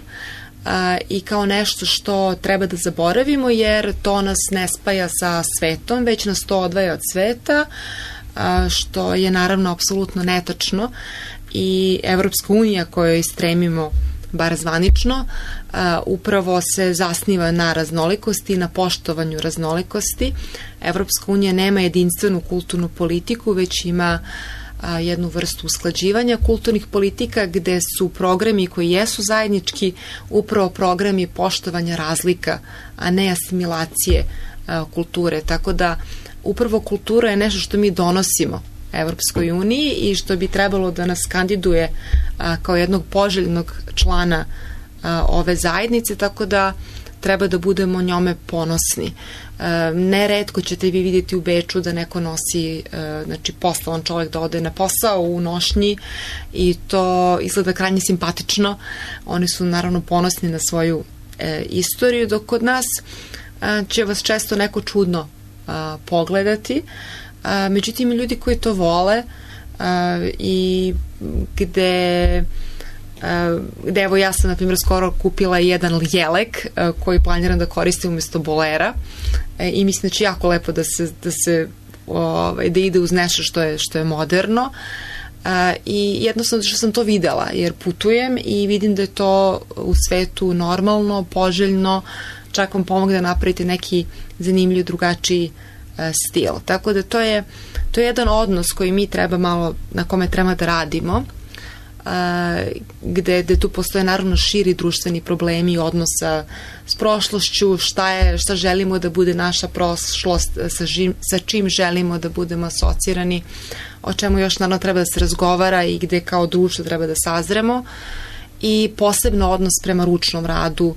i kao nešto što treba da zaboravimo, jer to nas ne spaja sa svetom, već nas to odvaja od sveta, što je naravno apsolutno netačno. I Evropska unija kojoj stremimo, bar zvanično, upravo se zasniva na raznolikosti i na poštovanju raznolikosti. Evropska unija nema jedinstvenu kulturnu politiku, već ima jednu vrstu usklađivanja kulturnih politika gde su programi koji jesu zajednički upravo programi poštovanja razlika, a ne asimilacije kulture. Tako da upravo kultura je nešto što mi donosimo Evropskoj uniji i što bi trebalo da nas kandiduje kao jednog poželjnog člana ove zajednice, tako da treba da budemo njome ponosni. Neretko ćete vi vidjeti u Beču da neko nosi, znači poslovan čovjek da ode na posao u nošnji i to izgleda krajnje simpatično. Oni su naravno ponosni na svoju istoriju, dok kod nas će vas često neko čudno pogledati. Međutim, ljudi koji to vole i gde evo ja sam na primjer skoro kupila jedan jelek koji planiram da koristim umjesto bolera i mislim da će jako lepo da ide uz nešto što je moderno i jednostavno što sam to videla jer putujem i vidim da je to u svetu normalno, poželjno, čak vam pomogne da napravite neki zanimljiv drugačiji stil. Tako da to je jedan odnos koji mi treba malo, na kome treba da radimo, gde tu postoje naravno širi društveni problemi odnosa s prošlošću, šta želimo da bude naša prošlost, sa čim želimo da budemo asocirani, o čemu još naravno treba da se razgovara i gde kao društvo treba da sazremo, i posebno odnos prema ručnom radu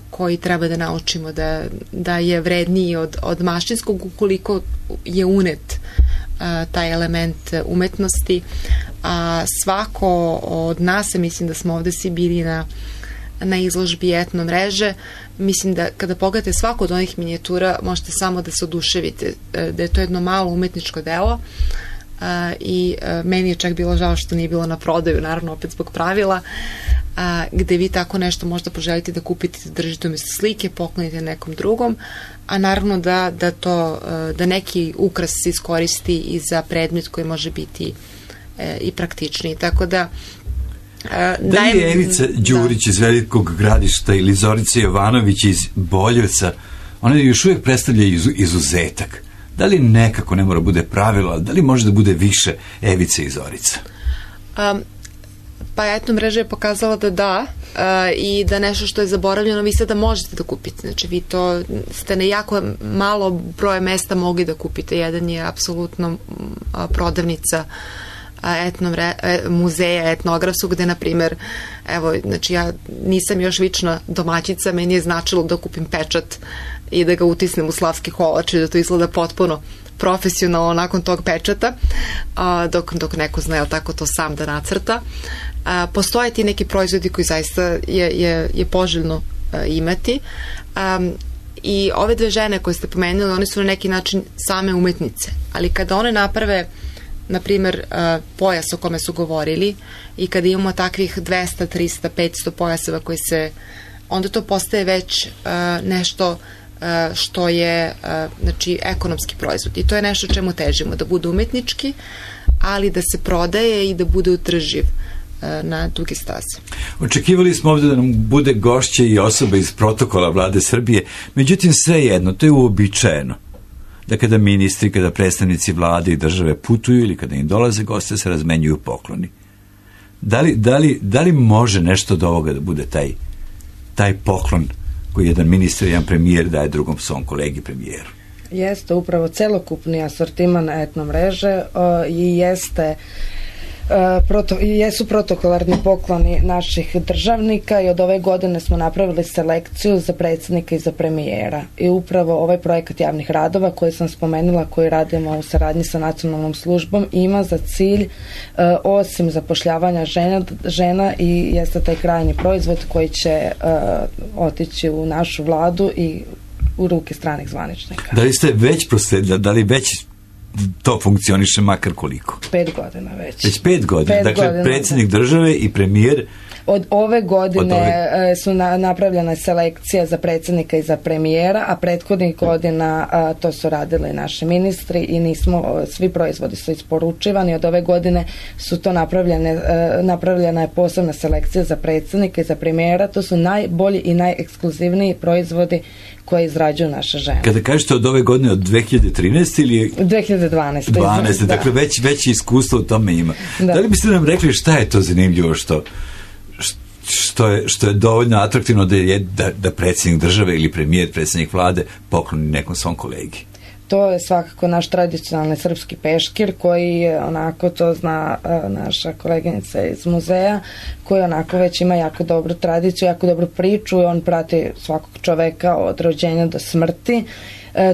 koji treba da naučimo da je vredniji od mašinskog ukoliko je unet taj element umetnosti, a svako od nas, mislim da smo ovde svi bili na izložbi etno mreže, mislim da kada pogledate svako od onih minijatura možete samo da se oduševite, da je to jedno malo umetničko delo i meni je čak bilo žao što nije bilo na prodaju, naravno opet zbog pravila, gde vi tako nešto možda poželite da kupite, da držite umjesto slike, poklonite nekom drugom, a naravno da neki ukras se iskoristi i za predmet koji može biti i praktičniji. Tako da da li je Evica Đurić iz Velikog Gradišta ili Zorica Jovanović iz Boljevca, one još uvijek predstavljaju izuzetak? Da li nekako ne mora bude pravilo, da li može da bude više Evice i Zorica? Pa etno mreža je pokazala da i da nešto što je zaboravljeno vi sada možete da kupite. Znači vi to ste na jako malo broje mesta mogli da kupite. Jedan je apsolutno prodavnica muzeja etnografskog, gde, na primjer, evo, znači ja nisam još vična domaćica, meni je značilo da kupim pečat i da ga utisnem u slavski kolač i da to izgleda potpuno profesionalno nakon tog pečata, dok neko zna tako to sam da nacrta. Postoje ti neki proizvodi koji zaista je poželjno imati. I ove dve žene koje ste pomenuli, one su na neki način same umetnice, ali kada one naprave na primjer pojas o kome su govorili i kada imamo takvih 200, 300, 500 pojaseva koji se, onda to postaje već nešto što je znači ekonomski proizvod i to je nešto čemu težimo, da bude umetnički, ali da se prodaje i da bude utrživ na duge staze. Očekivali smo ovdje da nam bude gošće i osoba iz protokola Vlade Srbije, međutim svejedno, to je uobičajeno da kada ministri, kada predstavnici vlade i države putuju ili kada im dolaze goste se razmenjuju pokloni. Da li može nešto od ovoga da bude taj poklon koji jedan ministar i jedan premijer daje drugom svom kolegi premijeru? Jeste upravo celokupni asortiman etno mreže i jesu protokolarni pokloni naših državnika i od ove godine smo napravili selekciju za predsjednika i za premijera. I upravo ovaj projekat javnih radova koji sam spomenula, koji radimo u saradnji sa nacionalnom službom, ima za cilj osim zapošljavanja žena i jeste taj krajnji proizvod koji će otići u našu vladu i u ruke stranih zvaničnika. Da li ste već prosledili, da li već to funkcioniše makar koliko? 5 godina već. Već 5 godina. Dakle, predsjednik države i premijer od ove godine su napravljena selekcija za predsjednika i za premijera, a prethodnih godina to su radili naši ministri i svi proizvodi su isporučivani. Od ove godine su to napravljena je posebna selekcija za predsjednika i za premijera. To su najbolji i najekskluzivniji proizvodi koje izrađuju naše žene. Kada kažete od ove godine, od 2013 ili 2012. 12. Dakle, već iskustvo u tome ima. Da li biste nam rekli šta je to zanimljivo što je dovoljno atraktivno da predsjednik države ili premijer, predsjednik vlade pokloni nekom svom kolegi? To je svakako naš tradicionalni srpski peškir koji onako to zna naša koleginica iz muzeja, koji onako već ima jako dobru tradiciju, jako dobru priču i on prati svakog čoveka od rođenja do smrti.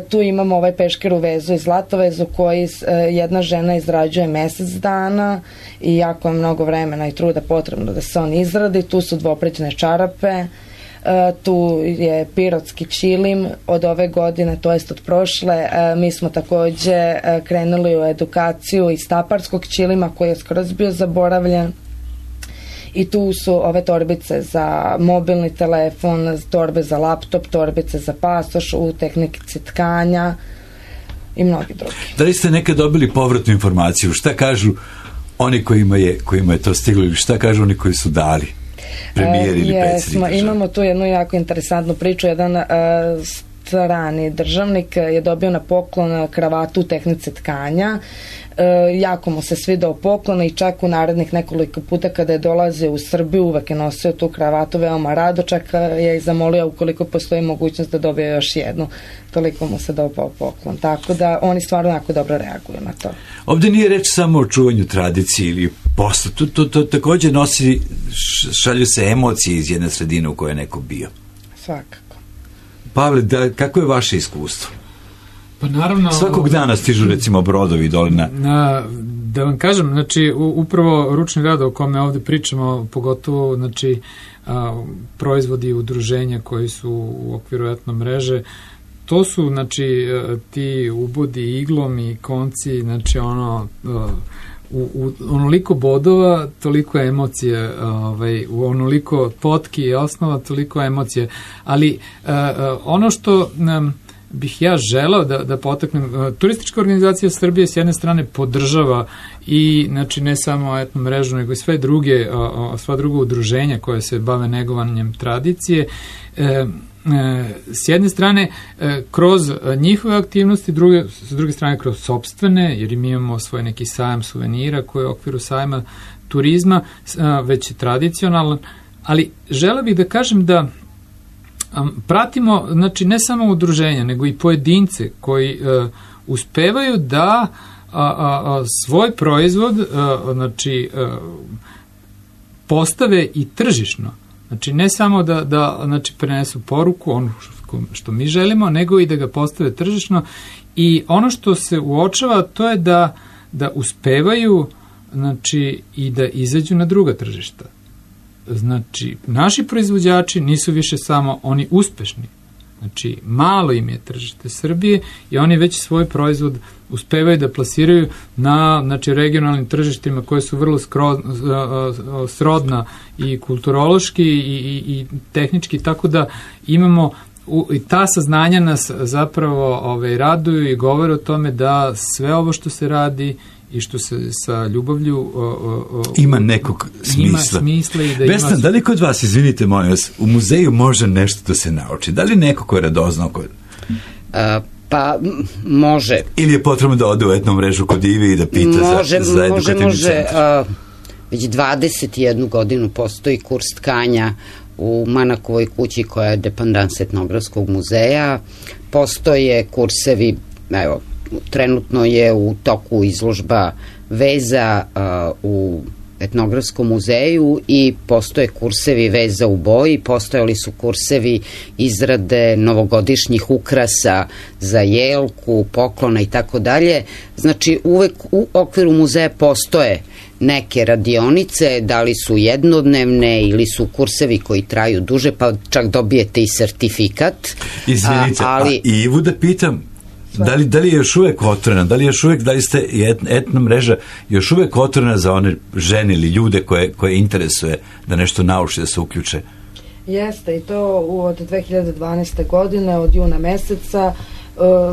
Tu imamo ovaj peškir u vezu i zlatovezu koji jedna žena izrađuje mjesec dana i jako je mnogo vremena i truda potrebno da se on izradi. Tu su dvoprećne čarape, tu je pirotski čilim od ove godine, to jest od prošle. Mi smo također krenuli u edukaciju iz staparskog čilima koji je skroz bio zaboravljen. I tu su ove torbice za mobilni telefon, torbe za laptop, torbice za pasoš u tehnici tkanja i mnogi drugi. Da li ste nekad dobili povratnu informaciju? Šta kažu oni kojima je to stiglo ili šta kažu oni koji su dali? Premijer ili predsjednik države? Imamo tu jednu jako interesantnu priču. Jedan strani državnik je dobio na poklon kravatu u tehnici tkanja. Jako mu se svidao poklon i čak u narednih nekoliko puta kada je dolazio u Srbiju uvek je nosio tu kravatu veoma rado, čak je i zamolio ukoliko postoji mogućnost da dobije još jednu, toliko mu se dopao poklon, tako da oni stvarno jako dobro reaguju na to. Ovdje nije reč samo o čuvanju tradicije ili posla, to također nosi, šalju se emocije iz jedne sredine u kojoj je neko bio. Svakako. Pavle, kako je vaše iskustvo? Pa naravno, svakog dana stižu recimo brodovi dole Da vam kažem, znači, upravo ručni rad o kome ovde pričamo, pogotovo, znači, proizvodi udruženja koji su u okviru etno mreže, to su, znači, ti ubodi iglom i konci, znači, u onoliko bodova, toliko emocije, u onoliko potki i osnova, toliko emocije. Ali ono što bih ja želao da potaknem, turistička organizacija Srbije s jedne strane podržava i, znači, ne samo etno mrežu, nego i sva druga udruženja koje se bave negovanjem tradicije. S jedne strane kroz njihove aktivnosti, s druge strane kroz sopstvene, jer mi imamo svoj neki sajam suvenira koji je u okviru sajma turizma, već je tradicionalan, ali želeo bih da kažem da pratimo, znači, ne samo udruženja, nego i pojedince koji uspevaju da svoj proizvod, znači, postave i tržišno. Znači, ne samo da znači, prenesu poruku, ono što mi želimo, nego i da ga postave tržišno. I ono što se uočava, to je da uspevaju, znači, i da izađu na druga tržišta. Znači, naši proizvođači nisu više samo oni uspešni. Znači, malo im je tržište Srbije i oni već svoj proizvod uspevaju da plasiraju na, znači, regionalnim tržištima koje su vrlo srodna i kulturološki i tehnički, tako da imamo i ta saznanja nas zapravo raduju i govore o tome da sve ovo što se radi i što se sa ljubavlju ima nekog smisla. Ima smisla i da Vesna, da li kod vas, izvinite molim vas, u muzeju može nešto da se nauči? Da li neko ko je radoznao kod... Pa, može. Ili je potrebno da ode u etnu mrežu kod Ive i da pita za edukativni centar? Već 21 godinu postoji kurs tkanja u Manakovoj kući koja je dependans etnografskog muzeja. Postoje kursevi, evo, trenutno je u toku izložba veza u etnografskom muzeju i postoje kursevi veza u boji, postojali su kursevi izrade novogodišnjih ukrasa za jelku, poklona i tako dalje. Znači, uvek u okviru muzeja postoje neke radionice, da li su jednodnevne ili su kursevi koji traju duže, pa čak dobijete i sertifikat. Izvinite, i Ivu da pitam, da li je još uvek otvorena, da li ste etna mreža još uvek otvorena za one žene ili ljude koje interesuje da nešto nauči, da se uključe? Jeste, i to od 2012. godine, od juna meseca,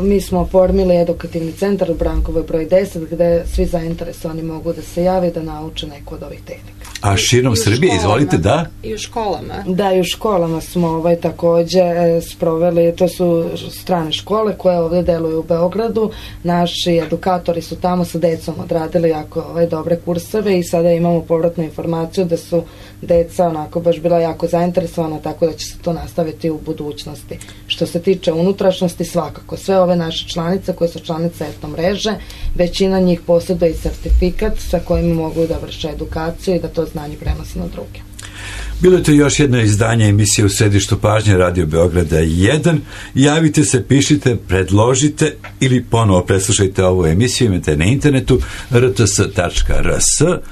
mi smo oformili edukativni centar u Brankovoj broj 10, gde svi zainteresovani mogu da se jave da nauče neku od ovih tehnika. A širom Srbije, izvolite, da? I u školama. Da, i u školama smo takođe sproveli, to su strane škole koje ovde deluju u Beogradu, naši edukatori su tamo sa decom odradili jako dobre kurseve i sada imamo povratnu informaciju da su deca onako baš bila jako zainteresovana, tako da će se to nastaviti u budućnosti. Što se tiče unutrašnjosti, svakako, sve ove naše članice koje su članice etno mreže, većina njih posjeduje i sertifikat sa kojim mogu da vrše edukaciju i da to znanje prenose na druge. Bilo je to još jedno izdanje emisije U središtu pažnje Radio Beograda 1. Javite se, pišite, predložite ili ponovo preslušajte ovu emisiju, imate na internetu rts.rs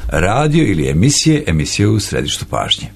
radio ili emisije U središtu pažnje.